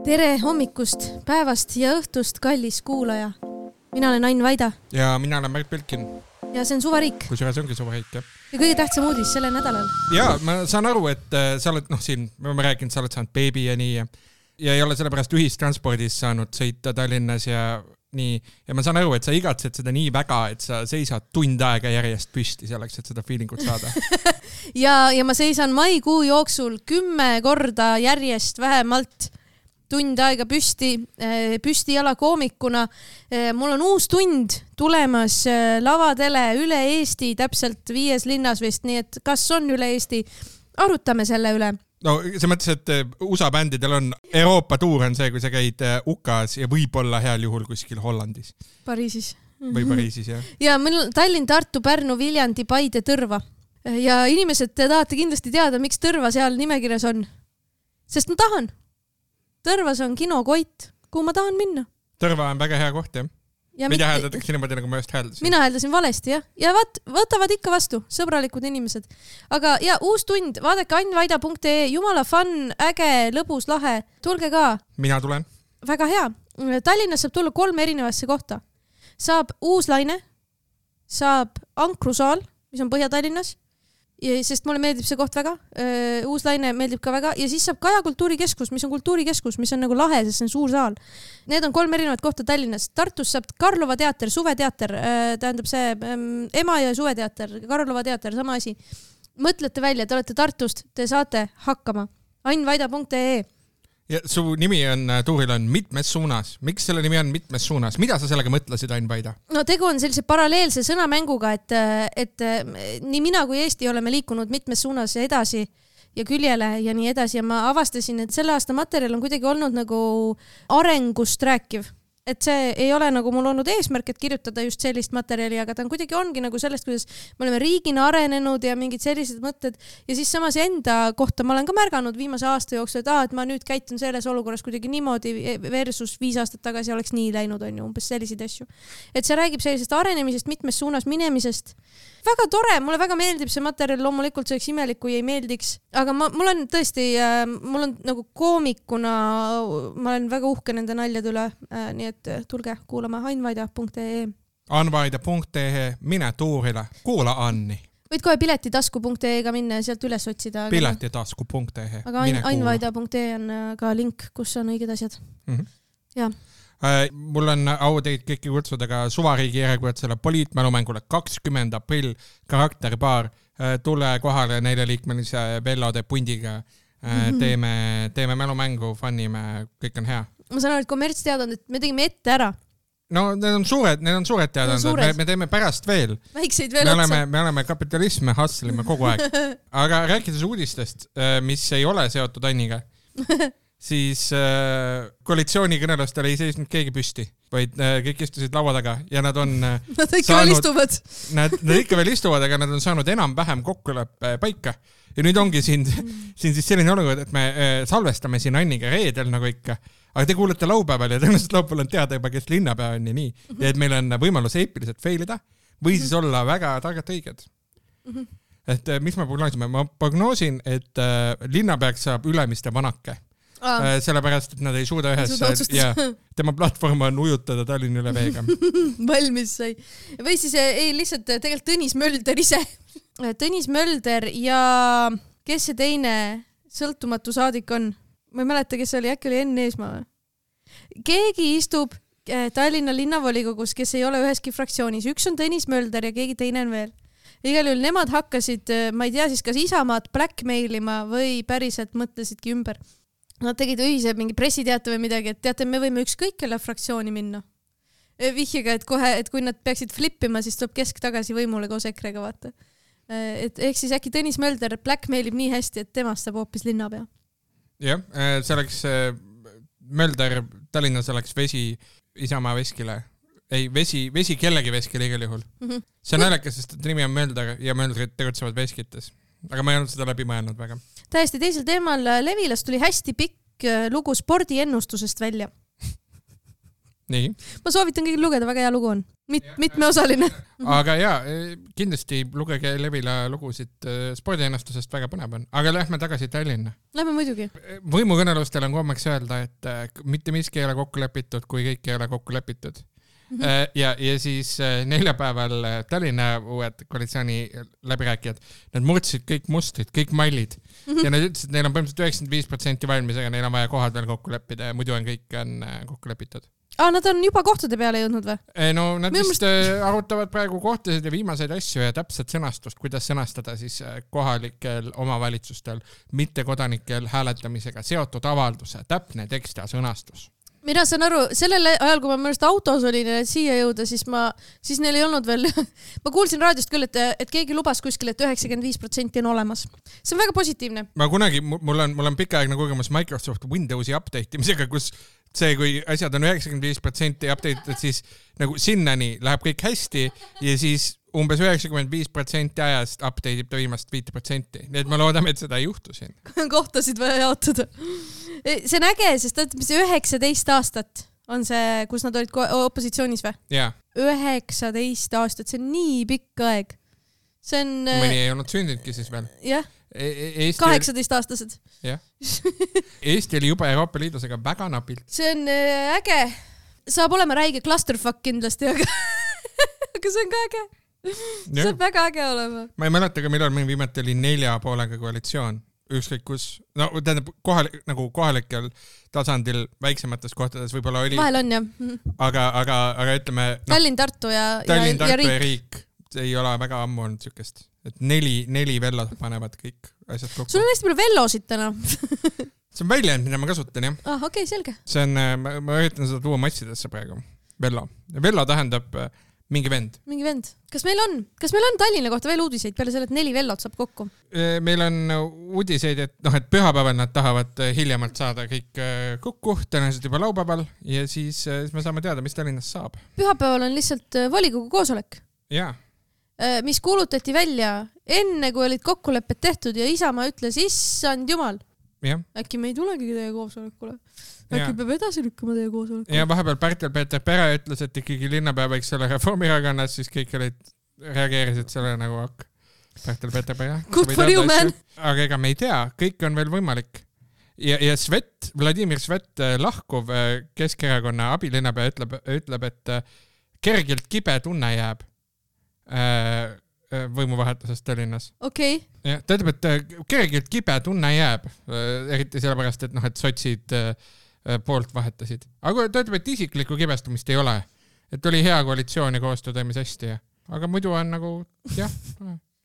Tere hommikust, päevast ja õhtust, kallis kuulaja. Mina olen Ain Vaida. Ja mina olen Märt Pilkin. Ja see on Suvariik. Kusjuures ongi Suvariik, jah. Ja kõige tähtsam uudis selle nädalal. Ja ma saan aru, et sa oled, siin, me oleme rääkinud, sa oled saanud beebi ja nii ja ei ole sellepärast ühistranspordis saanud sõita Tallinnas ja nii. Ja ma saan aru, et sa igatsed seda nii väga, et sa seisad tund aega järjest püsti selleks, et seda feelingut saada. ja ma seisan maikuu jooksul 10 korda järjest vähemalt tund aega püsti jala koomikuna. Mul on uus tund tulemas lavadele üle Eesti, täpselt 5 linnas vist, nii et kas on üle Eesti? Arutame selle üle. No see mõttes, et USA bändidel on Euroopa tuur on see, kui sa käid UK-s ja võib-olla heal juhul kuskil Hollandis. Pariisis. Või Pariisis, jah. Ja meil on Tallinn, Tartu, Pärnu, Viljandi, Paide, Tõrva. Ja inimesed, te tahate kindlasti teada, miks Tõrva seal nimekirjas on. Sest ma tahan. Tõrvas on kino Koit, kuhu ma tahan minna. Tõrva on väga hea koht, jah. Mida hääldatakse niimoodi, nagu ma just hääldasin? Mina hääldasin valesti, jah. Ja võtavad ikka vastu, sõbralikud inimesed. Aga ja uus tund, vaadake ainvaida.ee, jumala fun, äge, lõbus, lahe. Tulge ka. Mina tulen. Väga hea. Tallinnas saab tulla 3 erinevasse kohta. Saab Uuslaine, saab Ankrusaal, mis on Põhja-Tallinnas, sest mulle meeldib see koht väga. Uuslaine meeldib ka väga. Ja siis saab Kaja kultuurikeskus, mis on kultuurikeskus, mis on nagu lahe, sest see on suur saal. Need on 3 erinevat kohta Tallinnas. Tartus saab Karlova teater, suveteater, tähendab see ema ja suveteater, Karlova teater, sama asi. Mõtlete välja, te olete Tartust, te saate hakkama. ainvaida.ee. Ja su nimi on, tuuril on mitmes suunas. Miks selle nimi on mitmes suunas? Mida sa sellega mõtlesid, Ain Vaida? No tegu on sellise paralleelse sõnamänguga, et nii mina kui Eesti oleme liikunud mitmes suunas edasi ja küljele ja nii edasi. Ja ma avastasin, et selle aasta materjal on kuidagi olnud nagu arengust rääkiv. Et see ei ole nagu mul olnud eesmärk, et kirjutada just sellist materjali, aga ta on kuidagi ongi nagu sellest, kuidas me oleme riigina arenenud ja mingid sellised mõtted. Ja siis samas enda kohta ma olen ka märganud viimase aasta jooksul, et ma nüüd käitun selles olukorras kuidagi niimoodi versus 5 aastat tagasi oleks nii läinud, on ju, umbes selliseid asju. Et see räägib sellisest arenemisest, mitmes suunas minemisest. Väga tore, mulle väga meeldib see materjal, loomulikult see oleks imelik, kui ei meeldiks. Aga mul on tõesti, mul on nagu koomikuna, ma olen väga uhke nende naljade üle, nii et tulge kuulama ainvaida.ee. Anvaida.ee, mine tuurile, kuula Anni. Võid kohe piletitasku.ee-ga minna ja sealt üles otsida. Piletitasku.ee. Aga ainvaida.ee on ka link, kus on õiged asjad. Jah. Mul on au teid kõiki kutsuda ka Suvariigi järjekordsele poliitmälumängule 20. aprill karakterpaar. Tule kohale 4-liikmelise Vellode pundiga. Teeme mälumängu, fannime, kõik on hea. Ma saan aru, et kommertsteadanud, et me tegime ette ära. No need on suured teadanud. Me teeme pärast veel. Väikseid veel otsa. Me oleme kapitalisme, hustlime kogu aeg. Aga rääkides uudistest, mis ei ole seotud Anniga, siis koalitsioonikõnelustel ei seisnud keegi püsti, vaid kõik istusid laua taga ja nad on Nad ikka veel istuvad. Nad ikka veel istuvad, aga nad on saanud enam-vähem kokkuleppe paika. Ja nüüd ongi siin siis selline olukord, et me salvestame siin Anniga reedel nagu ikka, aga te kuulete laupäeval ja tõenäoliselt laupäeval on teada juba, kes linnapea on ja nii. Ja et meil on võimalus eepiliselt failida või siis olla väga targalt õiged. Et mis me prognoosime? Ma prognoosin, et linnapeaks saab Ülemiste Vanake. Sellepärast, et nad ei suuda ühes ja tema platvorm on ujutada Tallinna üle veega. Valmis sai. Või siis lihtsalt tegelikult Tõnis Mölder ise. Tõnis Mölder ja kes see teine sõltumatu saadik on? Ma ei mäleta, kes oli, äkki oli Enn Eesmaa. Keegi istub Tallinna linnavolikogus, kes ei ole üheski fraktsioonis. Üks on Tõnis Mölder ja keegi teine on veel. Igal juhul nemad hakkasid, ma ei tea siis, kas Isamaad blackmailima või päriselt mõtlesidki ümber. Nad tegid ühise mingi pressiteate või midagi, et teate, me võime ükskõik kelle fraktsiooni minna. Vihjega, et kohe, et kui nad peaksid flippima, siis tuleb kesk tagasi võimule koos EKRE-ga, vaata. Ehk siis äkki Tõnis Mölder blackmailib nii hästi, et temast saab hoopis linnapea. Jah, see oleks Mölder, Tallinnas oleks vesi Isamaa veskile. Ei, vesi kellegi veskile igal juhul. See on naljakas, sest nimi on Mölder ja Möldrid tegutsevad veskites. Aga ma ei olnud seda läbi mõelnud väga. Täiesti teisel teemal Levilas tuli hästi pikk lugu spordiennustusest välja. Nii. Ma soovitan kõigil lugeda, väga hea lugu on. Mitmeosaline. Aga kindlasti lugege Levila lugusid spordiennustusest, väga põnev on. Aga lähme tagasi Tallinna. Lähme muidugi. Võimukõnelustel on kommeks öelda, et mitte miski ei ole kokku lepitud, kui kõik ei ole kokku lepitud. Ja siis neljapäeval Tallinna uued koalitsiooni läbirääkijad, nad murdsid kõik mustrid, kõik mallid ja nad ütlesid, et neil on põhimõtteliselt 95% valmis, aga neil on vaja kohad veel kokku leppida ja muidu on kõik kokku lepitud. Nad on juba kohtade peale jõudnud või? No nad vist arutavad praegu kohtasid ja viimaseid asju ja täpset sõnastust, kuidas sõnastada siis kohalikel omavalitsustel mittekodanikel hääletamisega seotud avalduse, täpne tekst ja sõnastus. Mina saan aru, sellel ajal, kui ma mõnest autos olin ja siia jõuda, siis neil ei olnud veel, ma kuulsin raadiost küll, et keegi lubas kuskil, et 95% on olemas. See on väga positiivne. Ma kunagi, mul on pikaaegne kogemus Microsoft Windowsi update imisega, kus see, kui asjad on 95% update'id, siis nagu sinnani läheb kõik hästi ja siis umbes 95% ajast update ib ta viimast 5%. Nii et ma loodame, et seda ei juhtu siin. Kohtasid vaja jaotada. See on äge, sest 19 aastat on see, kus nad olid opositsioonis või? Jaa. 19 aastat, see on nii pikk aeg. See on... Mõni ei olnud sündinudki siis veel. Jah. 18-aastased. Jah. Eesti oli juba Euroopa Liidus, aga väga napilt. See on äge. Saab olema räige clusterfuck kindlasti, aga see on ka äge. See on väga äge olema. Ma ei mäleta ka, millal meil viimati oli 4,5 koalitsioon. Ükskõik kus, no tähendab kohalikel tasandil väiksemates kohtades võib-olla oli. Vahel on jah. Aga ütleme... Tallinn, Tartu ja riik. See ei ole väga ammu olnud sükest. Et 4 vellod panevad kõik asjad kokku. Sul on hästi palju vellosid täna. See on väljend, mida ma kasutan, jah. Okei, selge. See on, ma üritan seda tuua massidesse praegu. Vello. Vello tähendab mingi vend. Mingi vend. Kas meil on Tallinna kohta veel uudiseid peale selle, et 4 vellot saab kokku? Meil on uudiseid, et pühapäeval nad tahavad hiljemalt saada kõik kokku, tõenäoliselt juba laupäeval ja siis me saame teada, mis Tallinnas saab. Pühapäeval on lihtsalt volikogu koosolek. Jaa. Mis kuulutati välja enne, kui olid kokkulepped tehtud ja Isamaa ütles, issand jumal. Ja. Äkki me ei tulegi teie koosolekule. Äkki peab edasi lükkama teie koosolekule. Ja vahepeal Pärtel-Peeter Pere ütles, et ikkagi linnapea võiks selle Reformierakonnas, siis kõik reageerisid selle nagu Pärtel-Peeter Pere. Good for you, man! Aga ega me ei tea, kõik on veel võimalik. Ja Svet, Vladimir Svet, lahkuv Keskerakonna abilinnapea ütleb, et kergelt kibe tunne jääb võimuvahetusest Tallinnas. Okei. Ja, ta ütleb, et kergelt kibe tunne jääb, eriti sellepärast, et sotsid poolt vahetasid. Aga ta ütleb, et isiklikku kibestumist ei ole. Et oli hea koalitsioon ja koostöö toimis hästi. Aga muidu on nagu, jah,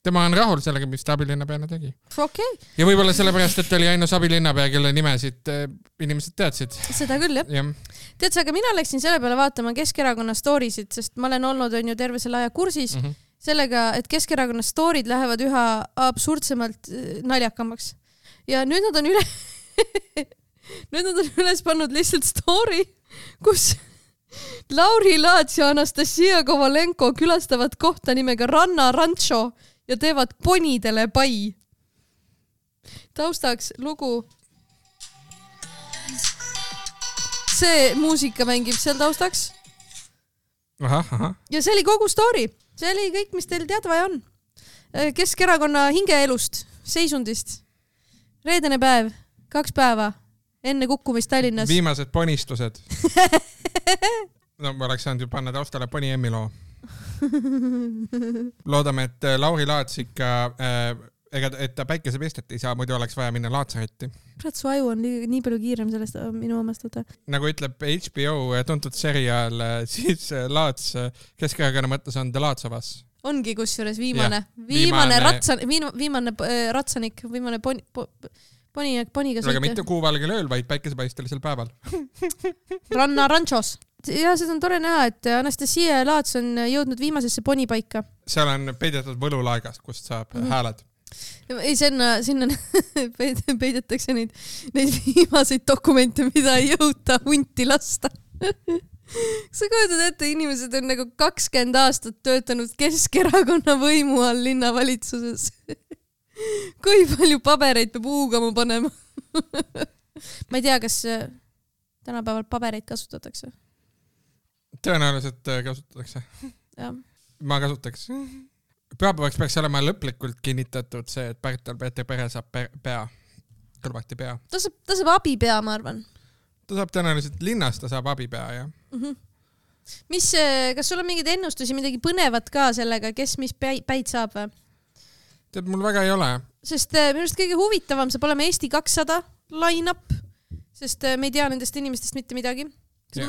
tema on rahul sellega, mis ta abilinnapeana tegi. Okei. Ja võib-olla sellepärast, et oli ainus abilinnapea, kelle nimesid inimesed teadsid. Seda küll, jah. Tead sa, aga mina läksin selle peale vaatama Keskerakonna storisid, sest ma olen olnud terve selle aja kursis sellega, et Keskerakonna storid lähevad üha absurdsemalt naljakamaks. Ja nüüd nad on üles pannud lihtsalt story, kus Lauri Laats ja Anastasia Kovalenko külastavad kohta nimega Ranna Rancho ja teevad ponidele pai. Taustaks lugu. See muusika mängib seal taustaks. Aha. Ja see oli kogu story. See oli kõik, mis teil teada vaja on. Keskerakonna hingeelust, seisundist. Reedene päev, 2 päeva enne kukkumist Tallinnas. Viimased ponistused. No ma oleks saanud ju panna taustale Poni Emmi loo. Loodame, et Lauri Laats ikka, et ta päikesepestet ei saa, muidu oleks vaja minna Laatsaretti. Kurat, su aju on nii palju kiirem sellest minu omast. Nagu ütleb HBO tuntud seriaal, siis Laats Keskerakonna mõttes on The Laats of Us. Ongi kusjuures viimane ratsanik, viimane poniga aga mitte kuuvalgel ööl, vaid päikesepaistelisel päeval. Ranna Ranchos. Ja seda on tore näha, et Anastasia ja Laats on jõudnud viimasesse ponipaika. Seal on peidetud võlulaegast, kust saab hääled. Ei, sinna peidetakse neid viimaseid dokumente, mida ei jõuta hunti lasta. Sa kujutad ette, inimesed on nagu 20 aastat töötanud Keskerakonna võimu all linnavalitsuses. Kui palju pabereid peab huugama panema? Ma ei tea, kas tänapäeval pabereid kasutatakse. tõenäoliselt kasutatakse. Ma kasutaks. Pühapäevaks peaks olema lõplikult kinnitatud see, et Pärtel-Peeter Pere saab pea, kõlvati pea. Ta saab abipea, ma arvan. Ta saab tõenäoliselt linnast, ta saab abipea, jah. Kas sul on mingeid ennustusi, midagi põnevat ka sellega, kes mis päid saab või? Tead, mul väga ei ole. Sest minu arust kõige huvitavam saab olema Eesti 200 line-up, sest me ei tea nendest inimestest mitte midagi.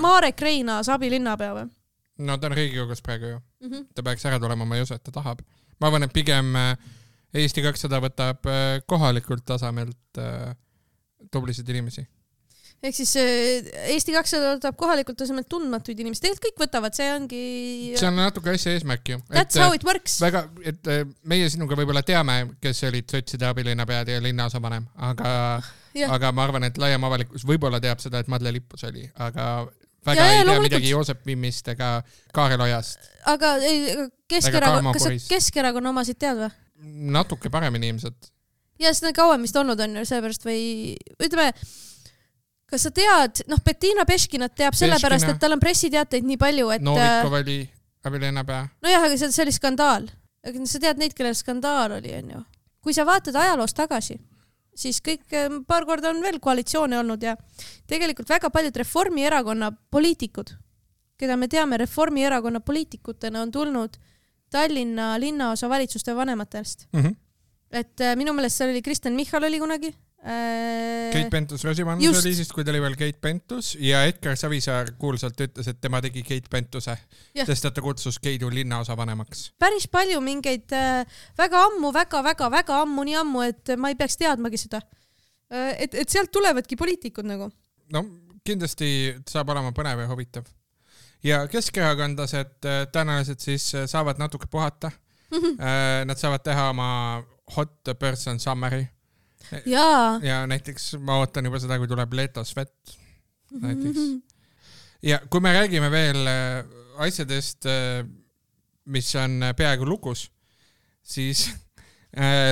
Marek Reinaas abilinnapea või? No ta on Riigikogus praegu ju. Ta peaks ära tulema, ma ei usu, et ta tahab. Ma arvan, et pigem Eesti 200 võtab kohalikult tasemelt tublisid inimesi. Ehk siis Eesti 200 võtab kohalikult tasemelt tundmatuid inimesi. Tegelikult kõik võtavad, see ongi... See on natuke asja eesmärk ju. That's how it works. Väga, et meie sinuga võib-olla teame, kes olid sotside abilinnapead ja linnaosavanem, aga ma arvan, et laiem avalikkus võib-olla teab seda, et Madle Lippus oli, aga... Väga ei tea midagi Joosep Vimmist ega Kaarel Ojast. Aga kas sa Keskerakonna omasid tead või? Natuke paremini ilmselt. Ja seda kauem vist olnud on ju seepärast või ütleme, kas sa tead, Bettina Peškinat teab sellepärast, et tal on pressiteateid nii palju, et... Novikov oli abilinnapea. No jah, aga see oli skandaal. Aga sa tead neid, kellel skandaal oli, on ju. Kui sa vaatad ajaloos tagasi, siis kõik paar korda on veel koalitsioone olnud ja tegelikult väga paljud Reformierakonna poliitikud, keda me teame Reformierakonna poliitikutena, on tulnud Tallinna linnaosa valitsuste vanematest. Et minu meelest seal oli Kristen Michal oli kunagi. Keit Pentus-Rosimannus oli siis, kui ta oli veel Keit Pentus ja Edgar Savisaar kuulsalt ütles, et tema tegi Keit Pentuse, sest ta kutsus Keidu linnaosa vanemaks. Päris palju mingeid väga ammu, nii ammu, et ma ei peaks teadmagi seda. Et sealt tulevadki poliitikud nagu. No kindlasti saab olema põnev ja huvitav. Ja keskerakondlased tõenäoliselt siis saavad natuke puhata. Nad saavad teha oma hot person summary. Ja näiteks ma ootan juba seda, kui tuleb Leto Svet näiteks. Ja kui me räägime veel asjadest, mis on peaaegu lukus, siis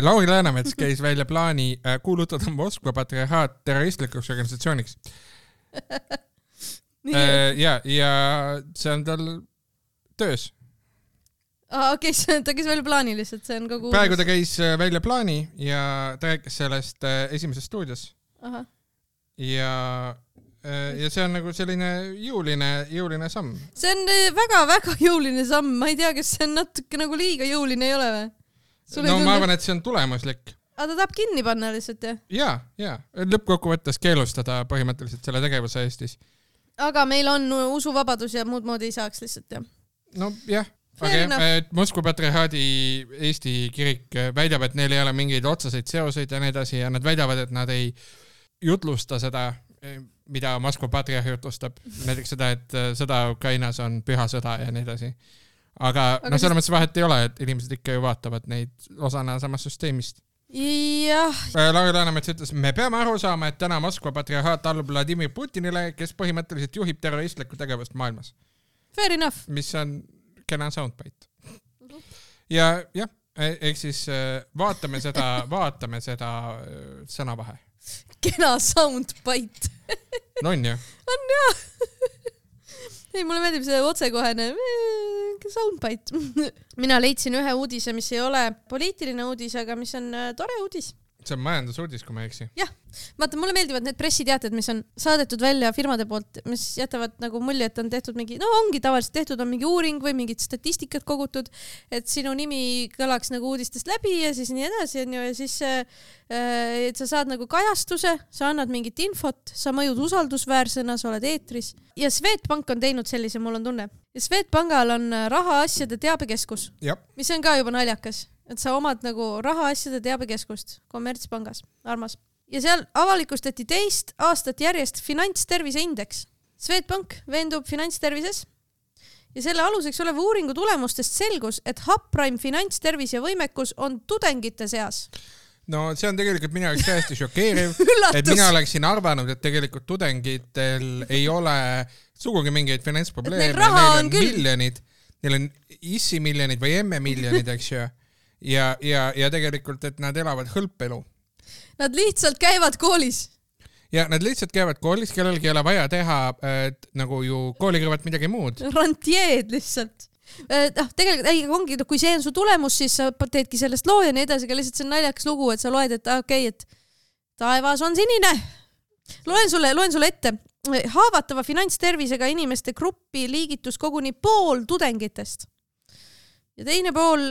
Lauri Läänemets käis välja plaani kuulutada Moskva patriarhaat terroristlikuks organisatsiooniks. Ja see on tal töös. Okei, ta käis välja plaani lihtsalt, see on kogu... Praegu ta käis välja plaani ja ta rääkis sellest esimeses stuudios. Ja see on nagu selline jõuline samm. See on väga jõuline samm, ma ei tea, kas see on natuke nagu liiga jõuline ei ole või? No ma arvan, et see on tulemuslik. Aga ta tahab kinni panna lihtsalt, jah? Ja. Lõppkokkuvõttes keelustada põhimõtteliselt selle tegevuse Eestis. Aga meil on usuvabadus ja muud moodi ei saaks lihtsalt, jah? No jah. Okay. Moskva patriarhaadi Eesti kirik väidab, et neil ei ole mingeid otseseid seoseid ja nii edasi ja nad väidavad, et nad ei jutlusta seda, mida Moskva patriarh jutlustab. Näiteks seda, et sõda Ukrainas on püha sõda ja nii edasi. Aga selles mõttes vahet ei ole, et inimesed ikka ju vaatavad neid osana samast süsteemist. Jah. Lauri Läänemets ütles, me peame aru saama, et täna Moskva patriarhaat allub Vladimir Putinile, kes põhimõtteliselt juhib terroristlikku tegevust maailmas. Fair enough. Mis on kena soundbite. Ja ehk siis vaatame seda sõnavahe. Kena soundbite. No on ju? On jah. Ei, mulle meeldib see otsekohene soundbite. Mina leidsin ühe uudise, mis ei ole poliitiline uudis, aga mis on tore uudis. See on majandusuudis, kui ma eksi. Jah. Vaata, mulle meeldivad need pressiteated, mis on saadetud välja firmade poolt, mis jätavad nagu mulje, et on tehtud mingi, ongi tavaliselt tehtud, on mingi uuring või mingid statistikat kogutud, et sinu nimi kõlaks nagu uudistest läbi ja siis nii edasi, ja siis et sa saad nagu kajastuse, sa annad mingit infot, sa mõjud usaldusväärsena, sa oled eetris. Ja Swedbank on teinud sellise, mul on tunne. Ja Swedbankal on rahaasjade teabekeskus, mis on ka juba naljakas. Et sa omad nagu rahaasjade teabekeskust kommertspangas, armas. Ja seal avalikustati 2 aastat järjest finantstervise indeks. Swedbank veendub finantstervises ja selle aluseks oleva uuringu tulemustest selgus, et subprime finantstervis ja võimekus on tudengite seas. No see on tegelikult minu jaoks täiesti šokeeriv, et mina oleksin arvanud, et tegelikult tudengitel ei ole sugugi mingeid finantsprobleeme, neil on miljonid, neil on issi miljonid või emme miljonid, eks ju. Ja tegelikult, et nad elavad hõlpelu. Nad lihtsalt käivad koolis. ja nad lihtsalt käivad koolis, kellelgi ei ole vaja teha nagu ju kooli kõrvalt midagi muud. Rantjeed lihtsalt. Tegelikult ongi, kui see on su tulemus, siis sa teedki sellest loo ja nii edasi, aga lihtsalt see on naljakas lugu, et sa loed, et okei, et taevas on sinine. Loen sulle ette. Haavatava finantstervisega inimeste gruppi liigitus koguni pool tudengitest. Ja teine pool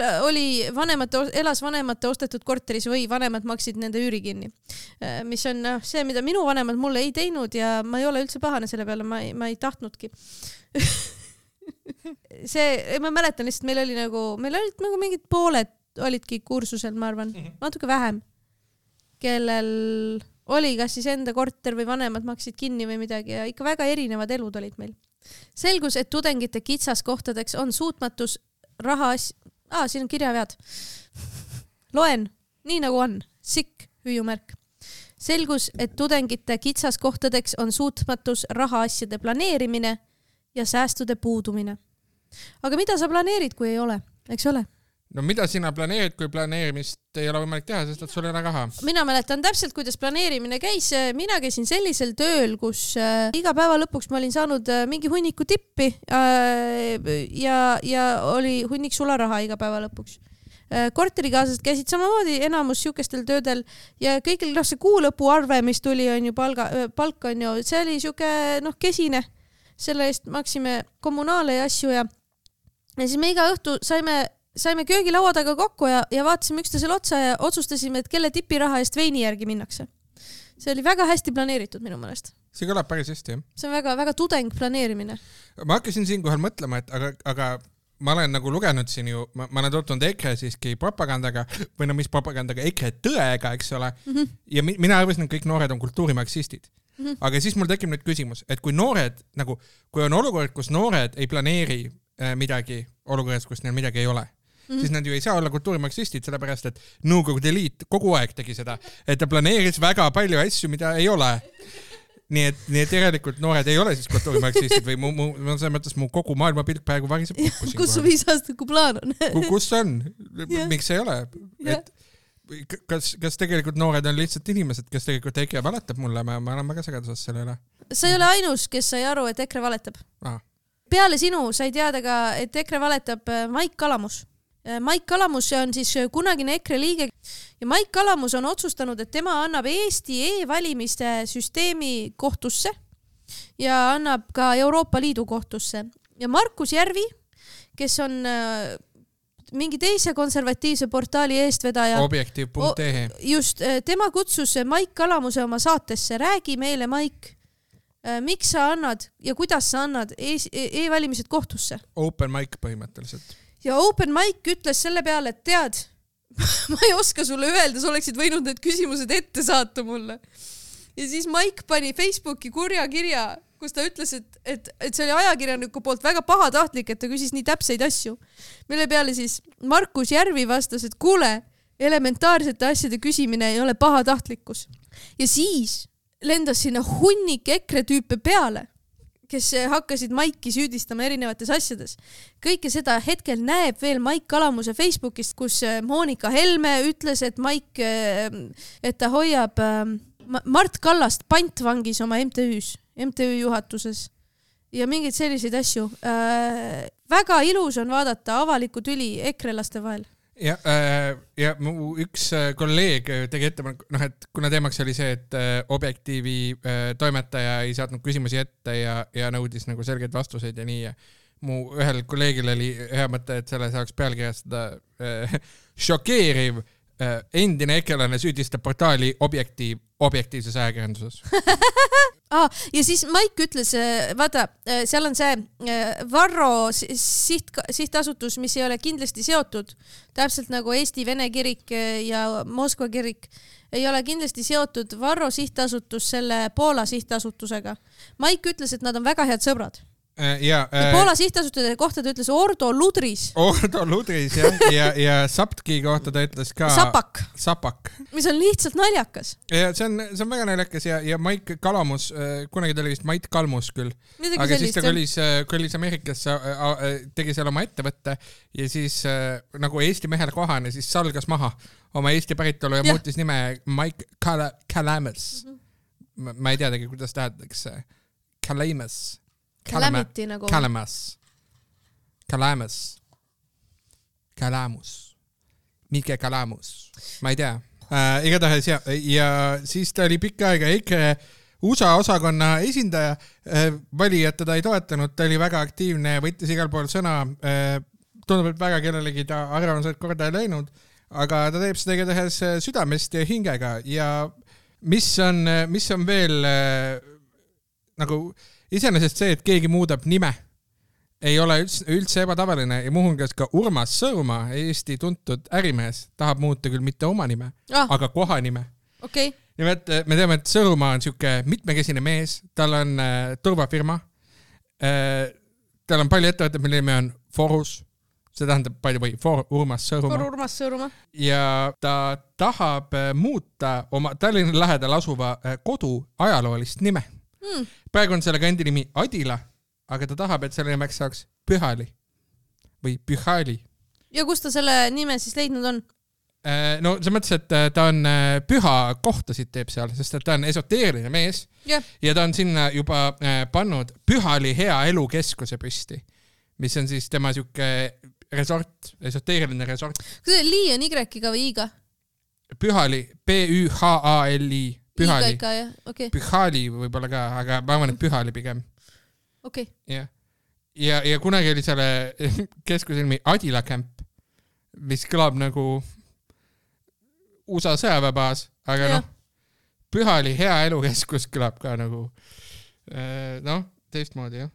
elas vanemate ostetud korteris või vanemad maksid nende üüri kinni. Mis on see, mida minu vanemad mulle ei teinud ja ma ei ole üldse pahane selle peale, ma ei tahtnudki. Ma mäletan lihtsalt, meil olid nagu mingid pooled olidki kursusel, ma arvan, natuke vähem, kellel oli kas siis enda korter või vanemad maksid kinni või midagi ja ikka väga erinevad elud olid meil. Selgus, et tudengite kitsaskohtadeks on suutmatus siin on kirjavead. Loen, nii nagu on. Sikk, hüüumärk. Selgus, et tudengite kitsaskohtadeks on suutmatus rahaasjade planeerimine ja säästude puudumine. Aga mida sa planeerid, kui ei ole? Eks ole? No mida sina planeerid, kui planeerimist ei ole võimalik teha, sest et sul ei ole raha? Mina mäletan täpselt, kuidas planeerimine käis. Mina käisin sellisel tööl, kus iga päeva lõpuks ma olin saanud mingi hunniku tippi ja oli hunnik sularaha iga päeva lõpuks. Korterikaaslased käisid samamoodi enamus siukestel töödel ja kõigil see kuulõpu arve, mis tuli, on ju palk on ju, see oli siuke kesine. Selle eest maksime kommunaale ja asju ja siis me iga õhtu saime köögilaua taga kokku ja vaatasime üksteisele otsa ja otsustasime, et kelle tipiraha eest veini järgi minnakse. See oli väga hästi planeeritud minu meelest. See kõlab päris hästi, jah. See on väga, väga tudeng planeerimine. Ma hakkasin siinkohal mõtlema, et aga ma olen nagu lugenud siin ju, ma olen tutvunud EKRE siiski propagandaga või mis propagandaga, EKRE tõega, eks ole. Ja mina arvasin, et kõik noored on kultuurimarksistid. Aga siis mul tekib nüüd küsimus, et kui on olukord, kus noored ei planeeri midagi olukorras, kus neil midagi ei ole, siis nad ju ei saa olla kultuurimarksistid, sellepärast et Nõukogude Liit kogu aeg tegi seda, et ta planeeris väga palju asju, mida ei ole. Nii et järelikult noored ei ole siis kultuurimarksistid või selles mõttes mu kogu maailmapilk praegu variseb kokku. Kus su 5 aastaku plaan on? Kus on? Miks ei ole? Kas tegelikult noored on lihtsalt inimesed, kes tegelikult EKRE valetab mulle? Ma olen väga segaduses selle üle. Sa ei ole ainus, kes sai aru, et EKRE valetab. Peale sinu sai teada ka, et EKRE valetab Maik Kalamus. Maik Kalamus on siis kunagine EKRE liige ja Maik Kalamus on otsustanud, et tema annab Eesti e-valimiste süsteemi kohtusse ja annab ka Euroopa Liidu kohtusse. Ja Markus Järvi, kes on mingi teise konservatiivse portaali eestvedaja. Objektiiv.ee. Just, tema kutsus Maik Kalamuse oma saatesse. Räägi meile, Maik, miks sa annad ja kuidas sa annad e-valimised kohtusse? Open mic põhimõtteliselt. Ja Open Mic ütles selle peale, et tead, ma ei oska sulle öelda, sa oleksid võinud need küsimused ette saata mulle. Ja siis Mike pani Facebooki kurja kirja, kus ta ütles, et see oli ajakirjaniku poolt väga pahatahtlik, et ta küsis nii täpseid asju. Mille peale siis Markus Järvi vastas, et kuule, elementaarsete asjade küsimine ei ole pahatahtlikkus. Ja siis lendas sinna hunnik EKRE tüüpe peale, kes hakkasid Maiki süüdistama erinevates asjades. Kõike seda hetkel näeb veel Maik Kalamuse Facebookist, kus Monika Helme ütles, et Maik, et ta hoiab Mart Kallast pantvangis oma MTÜ juhatuses ja mingeid selliseid asju. Väga ilus on vaadata avalikku tüli ekrelaste vahel. Ja mu üks kolleeg tegi ettepanek, et kuna teemaks oli see, et Objektiivi toimetaja ei saatnud küsimusi ette ja nõudis nagu selgeid vastuseid ja nii. Ja mu ühel kolleegil oli hea mõte, et selle saaks pealkirjastada šokeeriv endine ekrelane süüdistab portaali objektiivses ajakirjanduses. Ja siis Maik ütles, vaata, seal on see Varro sihtasutus, mis ei ole kindlasti seotud, täpselt nagu Eesti Vene kirik ja Moskva kirik, ei ole kindlasti seotud Varro sihtasutus selle Poola sihtasutusega. Maik ütles, et nad on väga head sõbrad. Ja Poola sihtasutuse kohta ta ütles Ordo Ludris. Ordo Ludris, ja Saptki kohta ta ütles ka Sapak. Mis on lihtsalt naljakas. Ja see on väga naljakas ja Maik Kalamus, kunagi ta oli vist Mait Kalmus küll. Aga siis ta kõlis Ameerikasse, tegi seal oma ettevõtte ja siis nagu Eesti mehele kohane, siis salgas maha oma Eesti päritolu ja muutis nime Maik Kalamus. ma ei teadagi, kuidas tähendatakse. Calamity nagu. Kalamus. Mike Kalamus. Ma ei tea. Igatahes ja siis ta oli pikka aega EKRE USA osakonna esindaja. Valijad teda ei toetanud, ta oli väga aktiivne, võttis igal pool sõna. Tundub, et väga kellelegi ta arvamused korda ei läinud, aga ta teeb seda igatahes südamest ja hingega ja mis on veel nagu iseenesest see, et keegi muudab nime, ei ole üldse ebatavaline ja muuhulgas ka Urmas Sõõrumaa, Eesti tuntud ärimees, tahab muuta küll mitte oma nime, aga kohanime. Okay. Nimelt me teame, et Sõõrumaa on siuke mitmekesine mees, tal on turvafirma, tal on palju ettevõtteid, mille nimi on Forus, see tähendab Urmas Sõõrumaa. Ja ta tahab muuta oma Tallinna lähedal asuva kodu ajaloolist nime. Praegu on selle kandi nimi Adila, aga ta tahab, et selle nimeks saaks Pühali või Pühali. Ja kus ta selle nime siis leidnud on? No see mõttes, et ta on püha kohtasid teeb seal, sest et ta on esoteeriline mees ja ta on sinna juba pannud Pühali hea elukeskuse püsti, mis on siis tema siuke resort, esoteeriline resort. Kas see Li on Y-ga või I-ga? Pühali, P-Ü-H-A-L-I. Pühali. Okay. Pühali võib-olla ka, aga ma arvan, et Pühali pigem. Okay. Ja kunagi oli selle keskuse nimi Adila Camp, mis kõlab nagu USA sõjaväebaas, aga Pühali hea elukeskus kõlab ka nagu teistmoodi, jah.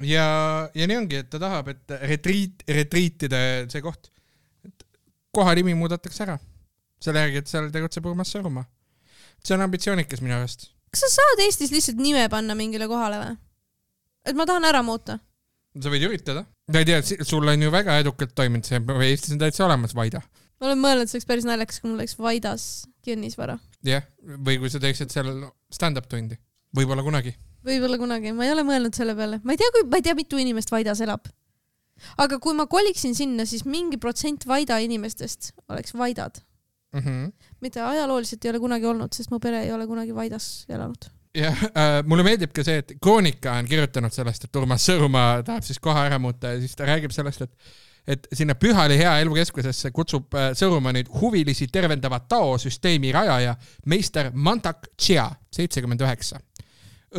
Ja nii ongi, et ta tahab, et retriitide see koht, et koha nimi muudatakse ära. Selle järgi, et seal tegutseb Urmas Sõõrumaa. See on ambitsioonikas minu arust. Kas sa saad Eestis lihtsalt nime panna mingile kohale või? Et ma tahan ära muuta. Sa võid üritada. Ma ei tea, sul on ju väga edukalt toiminud see, Eestis on täitsa olemas Vaida. Ma olen mõelnud, see oleks päris naljakas, kui mul oleks Vaidas kinnisvara. Jah, või kui sa teeksid seal stand-up tundi. Võib-olla kunagi, ma ei ole mõelnud selle peale. Ma ei tea, mitu inimest Vaidas elab. Aga kui ma koliksin sinna, siis mingi protsent Vaida inimestest oleks Vaidad. Mitte ajalooliselt ei ole kunagi olnud, sest mu pere ei ole kunagi Vaidas elanud. Jah, mulle meeldib ka see, et Kroonika on kirjutanud sellest, et Urmas Sõõrumaa tahab siis koha ära muuta ja siis ta räägib sellest, et sinna Pühali hea elukeskusesse kutsub Sõõrumaa nüüd huvilisi tervendava taosüsteemi rajaja meister Mantak Chia, 79.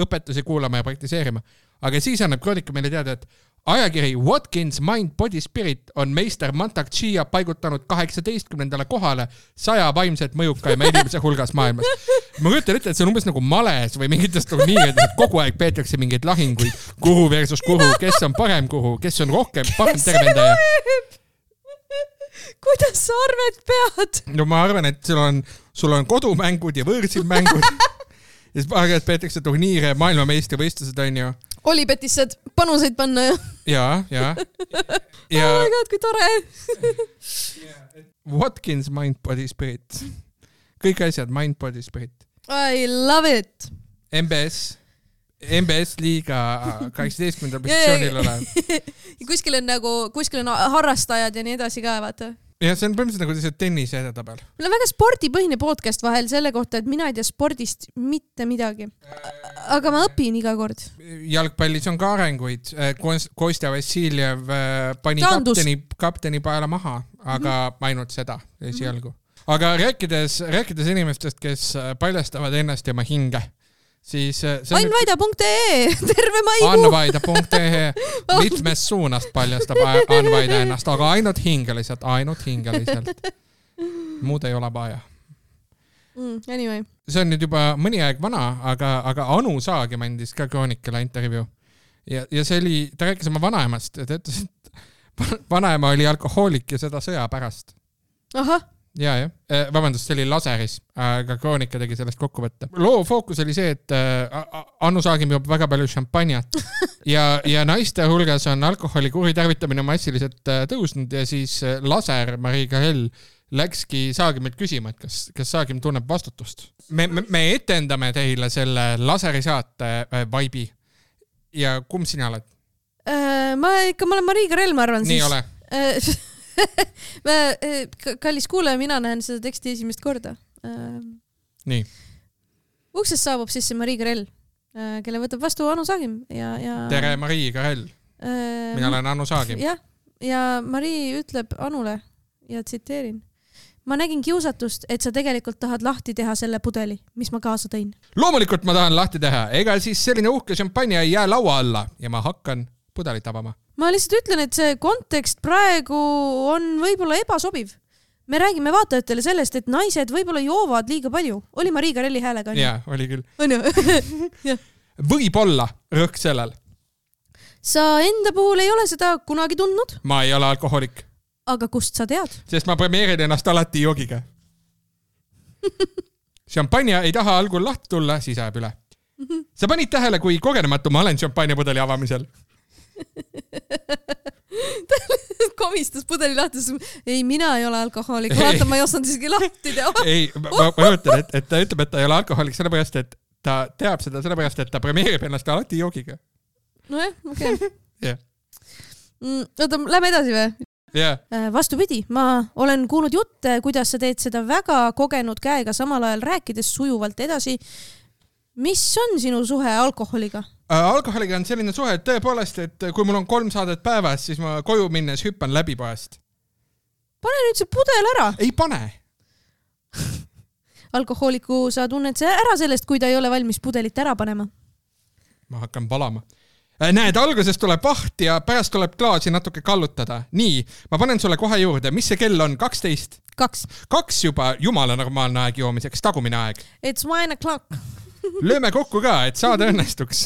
Õpetusi kuulama ja praktiseerima. Aga siis annab Kroonika meile teada, et ajakiri Watkins Mind Body Spirit on meister Mantak Chia paigutanud 18. kohale 100 vaimselt mõjukaima inimese hulgas maailmas. Ma kujutan ette, et see on umbes nagu males või mingitest turniirid, et kogu aeg peetakse mingeid lahinguid, kuhu versus kuhu, kes on parem kuhu, kes on rohkem parem tervendaja. Kuidas sa arved pead? No ma arvan, et sul on kodumängud ja võõrsil mängud. Ja siis aeg-ajalt peetakse turniire, maailmameistrivõistlused on ju. Olipetis saad panuseid panna ju. Ja. Oh my god, kui tore. Watkins Mind Body Spirit. Kõik asjad Mind Body Spirit. I love it. MBS liiga 18. positsioonil olev. Kuskil on harrastajad ja nii edasi ka, vaata. Ja see on põhimõtteliselt nagu see tennise edetabel. Meil on väga spordipõhine podcast vahel selle kohta, et mina ei tea spordist mitte midagi. Aga ma õpin iga kord. Jalgpallis on ka arenguid. Kostja Vassiljev pani kapteni paela maha, aga ainult seda esialgu. Aga rääkides inimestest, kes paljastavad ennast ja oma hinge, siis Annvaida.ee terve maikuu. Annvaida.ee mitmes suunast paljastab Annvaida ennast, aga ainult hingeliselt. Muud ei ole vaja. Anyway. See on nüüd juba mõni aeg vana, aga Anu Saagim andis ka Kroonikale intervjuu. Ja see oli, ta rääkis oma vanaemast ja ta ütles, et vanaema oli alkohoolik ja seda sõja pärast. Ahah. Ja. Vabandust, see oli Laseris, aga Kroonika tegi sellest kokkuvõtte. Loo fookus oli see, et Anu Saagim joob väga palju šampanjat ja naiste hulgas on alkoholi kuritarvitamine massiliselt tõusnud ja siis Laser, Mariika Hell, läkski Saagimilt küsima, et kas Saagim tunneb vastutust. Me etendame teile selle Laseri saate vaibi ja kumb sina oled? Ma olen Mariika Hell, ma arvan. Nii ole. Kallis kuulaja, mina näen seda teksti esimest korda. Nii. Uksest saabub sisse Marii Karell, kelle võtab vastu Anu Saagim ja... Tere, Marii Karell. Mina olen Anu Saagim. Ja Marii ütleb Anule ja tsiteerin. Ma nägin kiusatust, et sa tegelikult tahad lahti teha selle pudeli, mis ma kaasa tõin. Loomulikult ma tahan lahti teha. Ega siis selline uhke šampanja ei jää laua alla ja ma hakkan pudelit avama. Ma lihtsalt ütlen, et see kontekst praegu on võib-olla ebasobiv. Me räägime vaatajatele sellest, et naised võib-olla joovad liiga palju. Oli Marii Karelli häälega? Jaa, oli küll. On ju? Võib-olla rõhk sellel. Sa enda puhul ei ole seda kunagi tundnud? Ma ei ole alkohoolik. Aga kust sa tead? Sest ma premeerin ennast alati joogiga. Šampanja ei taha algul lahti tulla, siis ajab üle. Sa panid tähele, kui kogenematu ma olen šampanjapudeli avamisel? Komistas pudeli lahti. Ei, mina ei ole alkohoolik. Vaata, ma ei osanud isegi lahti teha. Ei, ma mõtlen, et ta ütleb, et ta ei ole alkohoolik sellepärast, et ta teab seda sellepärast, et ta premeerib ennast alati joogiga. Nojah, okei. Jah. Oota, lähme edasi või? Yeah. Vastupidi, ma olen kuulnud jutte, kuidas sa teed seda väga kogenud käega samal ajal rääkides sujuvalt edasi. Mis on sinu suhe alkoholiga? Alkoholiga on selline suhe, et tõepoolest, et kui mul on 3 saadet päevas, siis ma koju minnes hüppan läbi poest. Pane nüüd see pudel ära. Ei pane. Alkohooliku sa tunned see ära sellest, kui ta ei ole valmis pudelit ära panema. Ma hakkan palama. Näed, alguses tuleb vaht ja pärast tuleb klaasi natuke kallutada. Nii, ma panen sulle kohe juurde. Mis see kell on? 12? 2 juba jumala normaalne aeg joomiseks, tagumine aeg. It's 1 o'clock. Lööme kokku ka, et saada õnnestuks.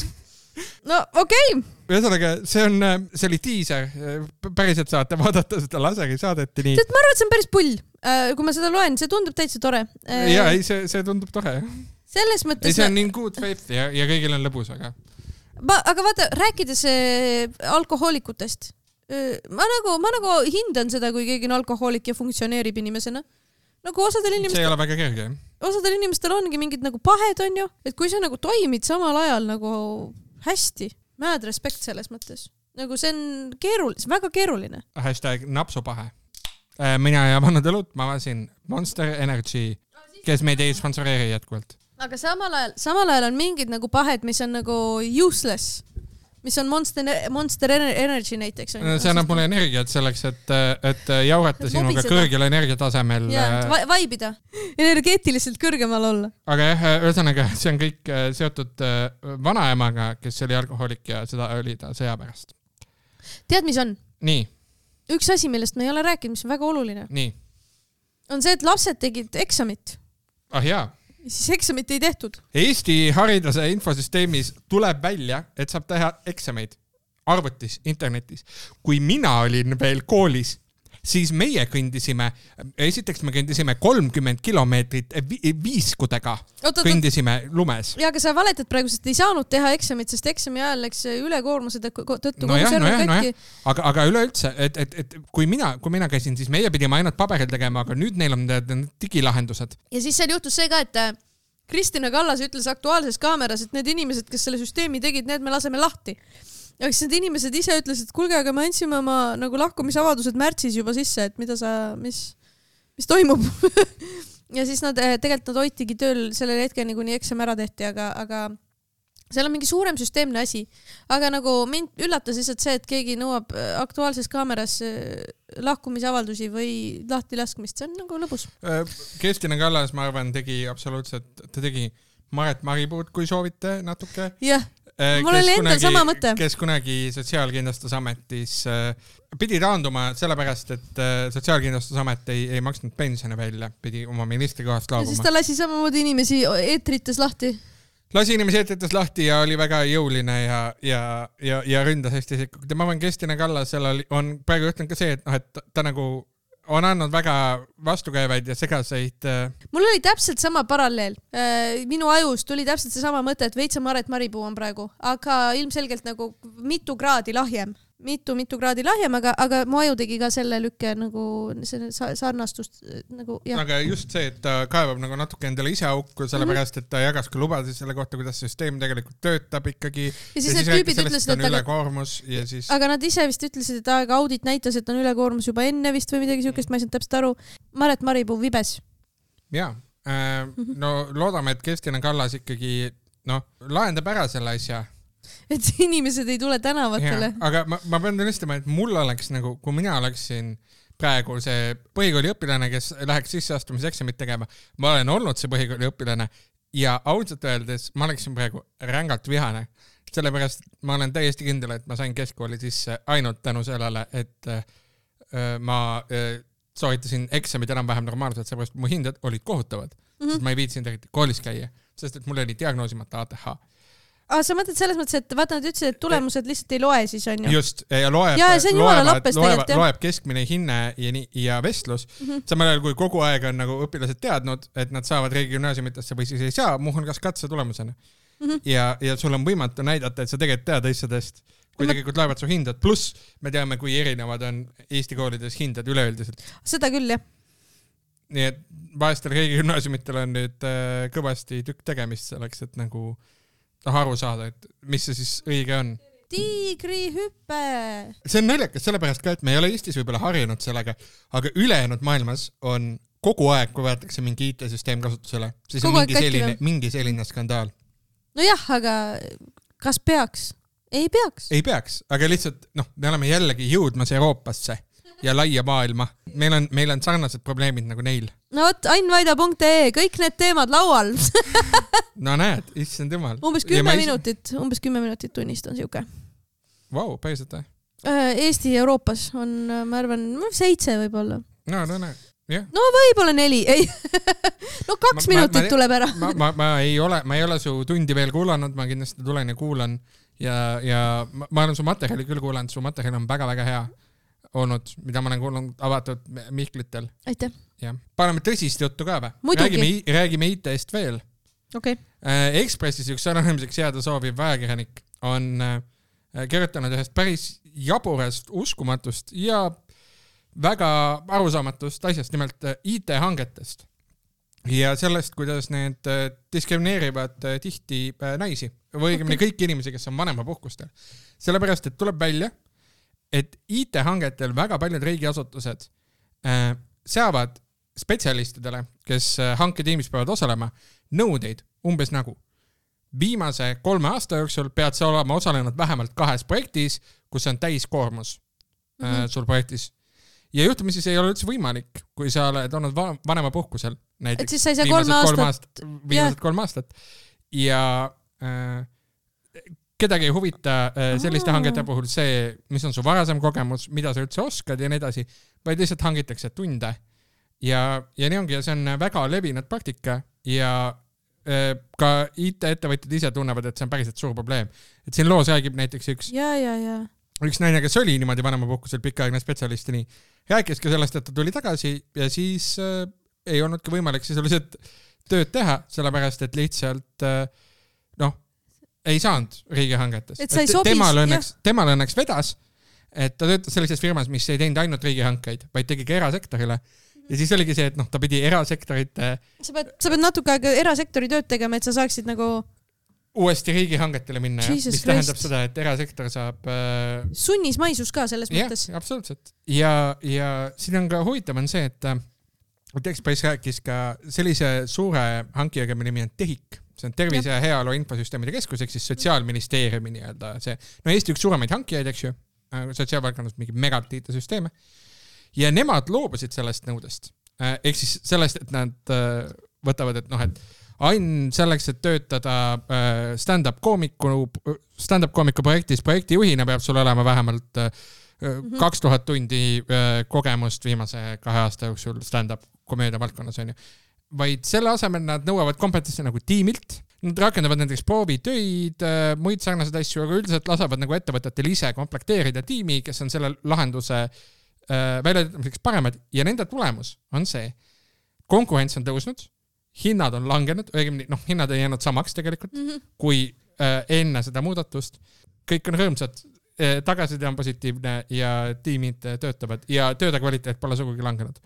No okei. Ühesõnaga, see oli tiiser. Päriselt saate vaadata seda laseri saadeti nii. Ma arvan, et see on päris pull. Kui ma seda loen, see tundub täitsa tore. Ja, ei, see tundub tore. Selles mõttes... Ei, see on nii good faith ja kõigil on lõbus, aga... Aga vaata, rääkides alkohoolikutest, ma nagu hindan seda, kui keegi on alkohoolik ja funktsioneerib inimesena. Nagu osadel inimestel... See ei ole väga kerge. Osadel inimestel ongi mingid nagu pahed, on ju, et kui sa nagu toimid samal ajal nagu hästi, mad respekt selles mõttes. Nagu see on väga keeruline. #napsupahe. Mina ei avanud õlut, ma avasin Monster Energy, kes meid ei sponsoreeri jätkuvalt. Aga samal ajal on mingid nagu pahed, mis on nagu useless, mis on Monster Energy näiteks. See annab mulle energiat selleks, et jaurata sinuga kõrgel energiatasemel. Vaibida, energeetiliselt kõrgemal olla. Aga jah, ühesõnaga, see on kõik seotud vanaemaga, kes oli alkohoolik ja seda oli ta sõja pärast. Tead, mis on? Nii. Üks asi, millest me ei ole rääkinud, mis on väga oluline. Nii. On see, et lapsed tegid eksamit. Jaa. Siis eksamit ei tehtud. Eesti hariduse infosüsteemis tuleb välja, et saab teha eksameid arvutis, internetis. Kui mina olin veel koolis, siis meie esiteks me kõndisime 30 kilomeetrit viiskudega. Kõndisime lumes. Ja, aga sa valetad praegu, sest ei saanud teha eksamit, sest eksami ajal läks ülekoormuse tõttu Aga üleüldse, et kui mina käisin, siis meie pidime ainult paberil tegema, aga nüüd neil on digilahendused. Ja siis seal juhtus see ka, et Kristina Kallas ütles Aktuaalses kaameras, et need inimesed, kes selle süsteemi tegid, need me laseme lahti. Ja siis need inimesed ise ütlesid, et kuulge, aga me andsime oma nagu lahkumisavadused märtsis juba sisse, et mis toimub. Ja siis tegelikult nad hoitigi tööl sellel hetkeni, kuni eksam ära tehti, aga seal on mingi suurem süsteemne asi. Aga nagu mind üllatas lihtsalt see, et keegi nõuab Aktuaalses kaameras lahkumisavaldusi või lahti laskmist. See on nagu lõbus. Kristina Kallas, ma arvan, ta tegi Maret Maripuud, kui soovite natuke. Jah. Mul oli endal sama mõte. Kes kunagi Sotsiaalkindlustusametis pidi taanduma sellepärast, et Sotsiaalkindlustusamet ei maksnud pensione välja, pidi oma ministrikohast laabuma. Ja siis ta lasi samamoodi inimesi eetrites lahti. Lasi inimesi eetrites lahti ja oli väga jõuline ja ründas hästi isiklikult. Ma arvan, Kristina Kallas on praegu juhtunud ka see, et ta nagu on andnud väga vastukäivaid ja segaseid. Mul oli täpselt sama paralleel. Minu ajus tuli täpselt see sama mõte, et veitsa Maret Maripuu on praegu, aga ilmselgelt nagu mitu kraadi lahjem. Mitu kraadi lahjem, aga mu aju tegi ka selle lükke nagu sarnastust. Nagu, aga just see, et ta kaevab nagu natuke endale ise aukku, sellepärast, et ta jagas ka lubasid selle kohta, kuidas süsteem tegelikult töötab ikkagi. Ja siis need tüübid ütlesid, et on ülekoormus ja siis... Aga nad ise vist ütlesid, et audit näitas, et on ülekoormus juba enne vist või midagi siukest, ma ei saanud täpselt aru. Maret Maripuu vibes. Jaa. no loodame, et Kristina Kallas ikkagi lahendab ära selle asja. Et inimesed ei tule tänavatele. Aga ma pean tunnistama, et mul oleks nagu, kui mina oleksin praegu see põhikooli õpilane, kes läheks sisseastumiseksamit tegema, ma olen olnud see põhikooli õpilane ja ausalt öeldes ma oleksin praegu rängalt vihane. Sellepärast ma olen täiesti kindel, et ma sain keskkooli sisse ainult tänu sellele, et ma soovitasin eksamid enam-vähem normaalselt, sellepärast mu hinded olid kohutavad, sest ma ei viitsinud koolis käia, sest et mul oli diagnoosimata ATH. Sa mõtled selles mõttes, et vaata, nad ütlesid, et tulemused lihtsalt ei loe siis, on ju? Just, ja loeb keskmine hinne ja vestlus. Samal ajal, kui kogu aeg on nagu õpilased teadnud, et nad saavad riigigümnaasiumitesse või siis ei saa, muuhulgas katse tulemusena. Ja sul on võimatu näidata, et sa tegelikult tead asjadest, kui tegelikult laevad su hindad. Pluss me teame, kui erinevad on Eesti koolides hindad üleüldiselt. Seda küll, jah. Nii et vaestel riigigümnaasiumitel on nüüd kõvasti tükk tegemist selleks, et nagu aru saada, et mis see siis õige on. Tiigrihüppe! See on naljakas sellepärast ka, et me ei ole Eestis võib-olla harjunud sellega, aga ülejäänud maailmas on kogu aeg, kui võetakse mingi IT-süsteem kasutusele, siis on mingi selline skandaal. No jah, aga kas peaks? Ei peaks. Ei peaks, aga lihtsalt, me oleme jällegi jõudmas Euroopasse ja laia maailma. Meil on sarnased probleemid nagu neil. No võt, ainvaida.ee, kõik need teemad laual. No näed, issand jumal. Umbes 10 minutit tunnist on siuke. Vau, päriselt või? Eesti Euroopas on, ma arvan, 7 võib-olla. No näed. Yeah. No võib-olla 4, ei. 2 minutit tuleb ära. ma ei ole su tundi veel kuulanud, ma kindlasti tulen ja kuulan ja ma olen su materjali küll kuulanud, su materjal on väga-väga hea olnud, mida ma olen kuulnud avatud Mihklitel. Aitäh. Ja. Paneme tõsist juttu ka või? Räägime IT-st veel. Okay. Ekspressis üks sõnanimiseks jääda sooviv ajakirjanik on kirjutanud ühest päris jaburast, uskumatust ja väga arusaamatust asjast, nimelt IT-hangetest ja sellest, kuidas need diskrimineerivad tihti naisi või õigemini kõiki inimesi, kes on vanemapuhkustel. Sellepärast, et tuleb välja, et IT-hangetel väga paljud riigiasutused seavad spetsialistidele, kes hanketiimis peavad osalema, nõudeid umbes nagu viimase 3 aasta jooksul pead sa olema osalenud vähemalt 2 projektis, kus on täiskoormus sul projektis. Ja juhtumisi see ei ole üldse võimalik, kui sa oled olnud vanemapuhkusel. Et siis sa ei saa 3 aastat. Ja kedagi ei huvita selliste hangete puhul see, mis on su varasem kogemus, mida sa üldse oskad ja nii edasi, vaid lihtsalt hangitakse tunde. Ja nii ongi, ja see on väga levinud praktika ja ka IT-ettevõtjad ise tunnevad, et see on päriselt suur probleem. Et siin loos räägib näiteks üks naine, kes oli niimoodi vanemapuhkusel pikaaegne spetsialist, nii rääkis ka sellest, et ta tuli tagasi ja siis ei olnudki võimalik sisuliselt tööd teha, sellepärast, et lihtsalt ei saanud riigihangetes. Temal õnneks vedas, et ta töötas sellises firmas, mis ei teinud ainult riigihankeid, vaid tegi ka erasektorile. Ja siis oligi see, et ta pidi erasektorite... Sa pead natuke aega erasektori tööd tegema, et sa saaksid nagu... uuesti riigihangetele minna, mis tähendab seda, et erasektor saab... Sunnismaisus ka selles mõttes. Jah, absoluutselt. Ja siin on ka huvitav on see, et Ekspress rääkis ka sellise suure hankijaga, mille nimi on TEHIK. See on tervise ja heaolu infosüsteemide keskus, ehk siis Sotsiaalministeeriumi nii-öelda see. No Eesti üks suuremaid hankijaid, eks ju, sotsiaalvaldkonnas mingi megatiitesüsteeme. Ja nemad loobusid sellest nõudest. Ehk siis sellest, et nad võtavad, et selleks, et töötada stand-up koomiku projektis projektijuhina peab sul olema vähemalt 2000 tundi kogemust viimase 2 aasta jooksul stand-up komeedia valdkonnas on ju. Vaid selle asemel nad nõuavad kompetentsi nagu tiimilt, nad rakendavad nendeks proovitöid, muid sarnaseid asju, aga üldiselt lasavad nagu ettevõtetel ise komplekteerida tiimi, kes on selle lahenduse väljatöötamiseks paremad ja nende tulemus on see. Konkurents on tõusnud, hinnad on langenud, hinnad ei jäänud samaks tegelikult, kui enne seda muudatust. Kõik on rõõmsad, tagasiside on positiivne ja tiimid töötavad ja tööde kvaliteet pole sugugi langenud.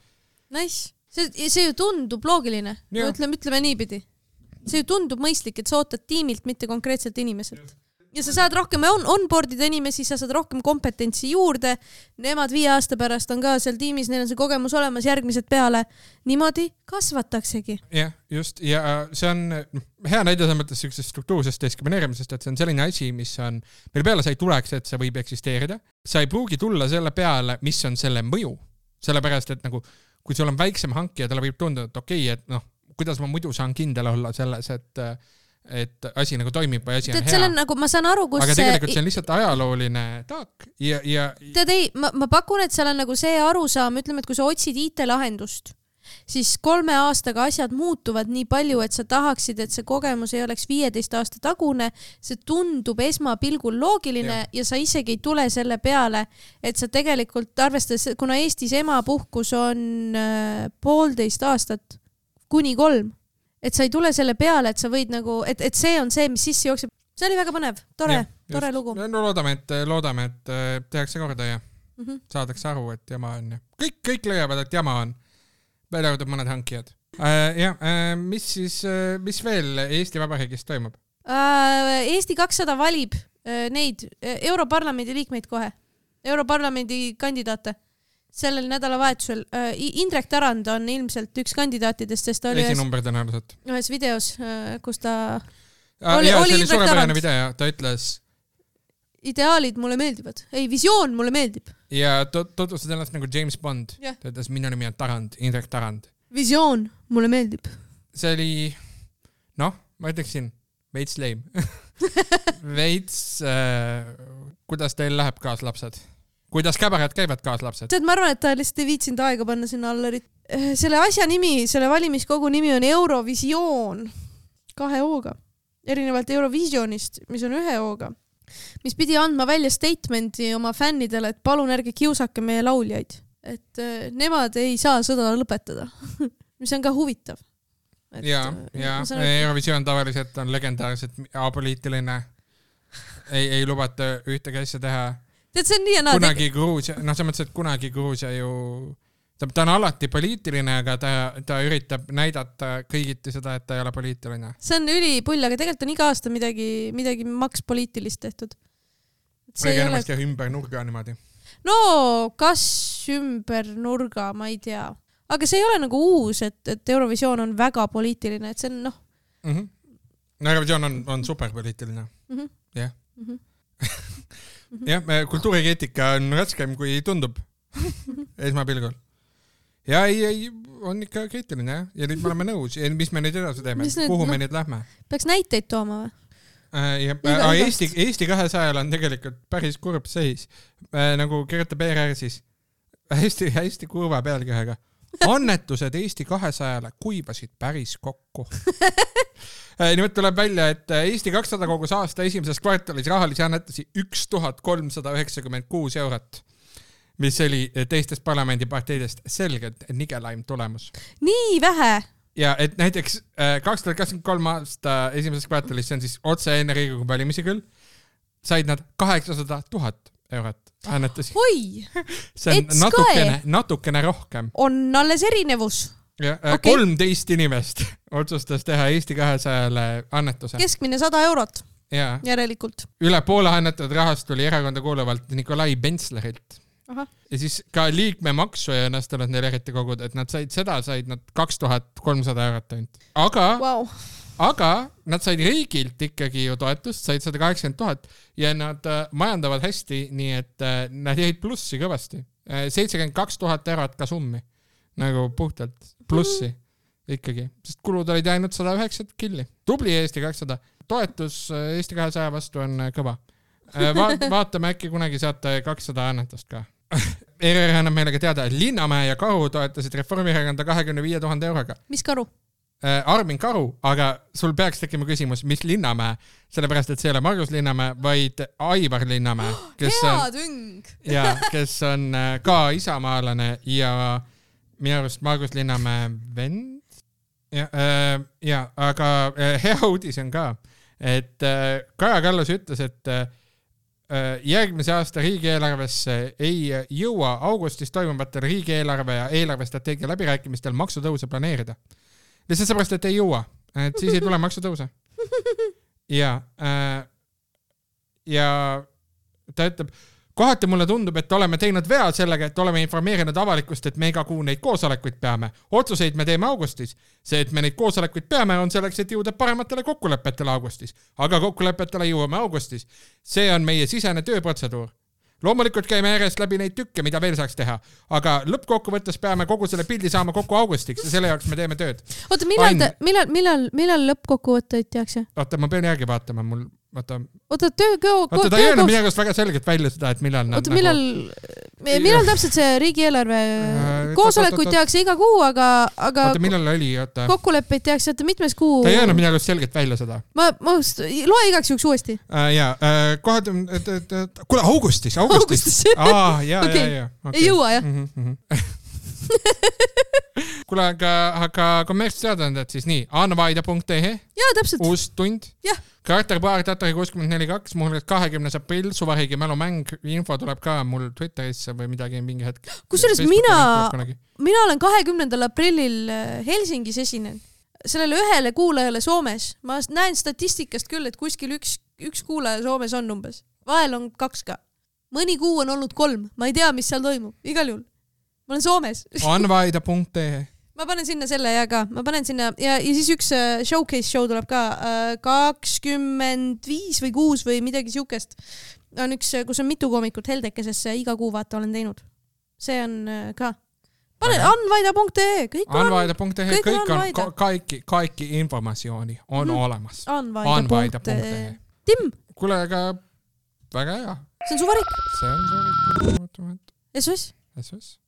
Nice. See ju tundub loogiline. Ütleme niipidi. See ju tundub mõistlik, et sa ootad tiimilt, mitte konkreetselt inimeselt. ja sa saad rohkem onboard'ida inimesi, sa saad rohkem kompetentsi juurde, nemad 5 aasta pärast on ka seal tiimis, neil on see kogemus olemas, järgmised peale, niimoodi kasvataksegi. Jah, just, ja see on hea näide selles mõttes sellisest struktuursest diskrimineerimisest, et see on selline asi, mis on, mille peale sa ei tuleks, et see võib eksisteerida. Sa ei pruugi tulla selle peale, mis on selle mõju, sellepärast, et nagu, kui sul on väiksem hankija, talle võib tunda, et okei, et kuidas ma muidu saan kindel olla selles, et asi nagu toimib või asi on hea. Nagu, ma saan aru, kus aga tegelikult see on lihtsalt ajalooline taak ja... Tead ei, ma pakun, et seal on nagu see arusaam, ütleme, et kui sa otsid IT-lahendust, siis 3 aastaga asjad muutuvad nii palju, et sa tahaksid, et see kogemus ei oleks 15 aasta tagune, see tundub esmapilgul loogiline ja sa isegi ei tule selle peale, et sa tegelikult arvestades, kuna Eestis emapuhkus on 1,5 aastat kuni 3, et sa ei tule selle peale, et sa võid nagu, et see on see, mis sisse jookseb. See oli väga põnev, tore lugu. No loodame, et tehakse korda ja saadakse aru, et jama on. Kõik leiavad, et jama on. Välja arvatud mõned hankijad. Mis veel Eesti Vabariigis toimub? Eesti 200 valib neid Europarlamendi liikmeid kohe. Europarlamendi kandidaate. Sellel nädalavahetusel. Indrek Tarand on ilmselt üks kandidaatidest, sest ta oli ühes videos, kus ta oli suurepärane video, ta ütles ideaalid mulle meeldivad. Ei, visioon mulle meeldib. Ja tutvustas ennast nagu James Bond. Ta ütles, minu nimi on Tarand, Indrek Tarand. Visioon mulle meeldib. See oli, ma ütleksin, veits lame. Veits, kuidas teil läheb kaaslapsed? Kuidas käbarad käivad kaaslapsed? Ma arvan, et ta lihtsalt ei viitsinud aega panna sinna Allerit. Selle asja nimi, selle valimiskogu nimi on Eurovisioon 2 O-ga. Erinevalt Eurovisionist, mis on 1 O-ga. Mis pidi andma välja statementi oma fännidele, et palun ärge kiusake meie lauljaid. Et nemad ei saa sõda lõpetada. Mis on ka huvitav. Ja Eurovisioon tavaliselt on legendaarselt apoliitiline. Ei lubata ühtegi asja teha. Tead, see on nii ja naa. Kunagi Gruusia, see mõttes, et kunagi Gruusia ju, ta on alati poliitiline, aga ta üritab näidata kõigiti seda, et ta ei ole poliitiline. See on ülipull, aga tegelikult on iga aasta midagi maks poliitilist tehtud. Kõige enamast ja ümber nurga niimoodi. No, kas ümber nurga, ma ei tea. Aga see ei ole nagu uus, et Eurovisioon on väga poliitiline, et see on Eurovisioon on superpoliitiline. Jah. Jah, kultuurikeetika on raskem, kui tundub esmapilgul. Ja ei, on ikka kriitiline, ja nüüd me oleme nõus. Ja mis me nüüd edasi teeme? Kuhu me nüüd lähme? Peaks näiteid tooma või? Eesti 200 on tegelikult päris kurb seis. Nagu kirjutab ERR siis hästi kurva pealkirjaga. Annetused Eesti 200-le kuivasid päris kokku. Nimelt tuleb välja, et Eesti 200 kogus aasta esimeses kvartalis rahalisi annetusi 1396 eurot, mis oli teistest parlamendiparteidest selgelt nigelaim tulemus. Nii vähe? Ja et näiteks 2023 aasta esimeses kvartalis, see on siis otse enne Riigikogu valimisi küll, said nad 800 000 eurot annetusi. Oi! See on natukene rohkem. On alles erinevus. Ja, 13 inimest otsustas teha Eesti 200-le annetuse. Keskmine 100 eurot. Ja. Järelikult. Üle poole annetatud rahast tuli erakonda kuuluvalt Nikolai Bentslerilt. Aha. Ja siis ka liikmemaksu ei õnnestunud neil eriti kogud, et nad said 2300 eurot ainult. Aga nad said riigilt ikkagi ju toetust, said 180 000 ja nad majandavad hästi, nii et nad jäid plussi kõvasti. 72 000 eurot ka summi. Nagu puhtalt plussi ikkagi, sest kulud olid ainult 109 killi. Tubli Eesti 200. Toetus Eesti 200 vastu on kõva. Vaatame äkki kunagi saate 200 annetust ka. ERR annab meile ka teada, et Linnamäe ja Karu toetasid Reformierakonda 25 000 euroga. Mis Karu? Armin Karu, aga sul peaks tekkima küsimus, mis Linnamäe, sellepärast, et see ei ole Margus Linnamäe, vaid Aivar Linnamäe, kes on ka isamaalane ja minu arust Margus Linnamäe vend. Aga hea uudis on ka, et Kaja Kallas ütles, et järgmise aasta riigieelarvesse ei jõua augustis toimuvatel riigieelarve ja eelarvestrateegia läbirääkimistel maksutõuse planeerida. Lihtsalt seepärast, et ei jõua, et siis ei tule maksutõuse. Ja ja ta ütleb, kohati mulle tundub, et oleme teinud vea sellega, et oleme informeerinud avalikkust, et me iga kuu neid koosolekuid peame. Otsuseid me teeme augustis. See, et me neid koosolekuid peame, on selleks, et jõuda parematele kokkulepetele augustis. Aga kokkulepetele jõuame augustis. See on meie sisene tööprotseduur. Loomulikult käime järjest läbi neid tükke, mida veel saaks teha. Aga lõppkokkuvõttes peame kogu selle pildi saama kokku augustiks ja selle jaoks me teeme tööd. Oota, millal lõppkokkuvõtteid tehakse? Oota, ma pean järgi vaatama. Oota, ta ei öelnud midagi väga selgelt välja seda, et millal nad... Oota, millal täpselt see riigieelarve koosolekuid tehakse iga kuu, aga oota, millal oli? Kokkuleppeid tehakse, et mitmes kuu... Ta ei öelnud midagi selgelt välja seda. Ma loe igaks juhuks uuesti. Kuule, augustis. Ja. Ei jõua, jah? Kuule, aga kommertsteadandad siis nii, anvaida.ee jaa, täpselt. Uus tund. Jah. Karakterpaar Tatari 64.2, mul 20. aprill, suvariigi mälumäng, info tuleb ka mul Twitterisse või midagi mingi hetk. Kusjuures mina olen 20. aprillil Helsingis esinen. Sellele ühele kuulajale Soomes. Ma näen statistikast küll, et kuskil üks kuulaja Soomes on umbes. Vahel on 2 ka. Mõni kuu on olnud 3. Ma ei tea, mis seal toimub. Igal juhul. Ma olen Soomes. Anvaida.ee Ma panen sinna selle ja ka. Ma panen sinna ja siis üks showcase show tuleb ka 25 või 6 või midagi siukest. On üks, kus on mitu koomikut Heldekesesse iga kuu vaata olen teinud. See on ka. Panen anvaida.ee. Kõik on kaikki informatsiooni on olemas. Anvaida.ee. Tim! Kuule, aga väga hea. See on suvarik. See on suvarik. SOS. SOS.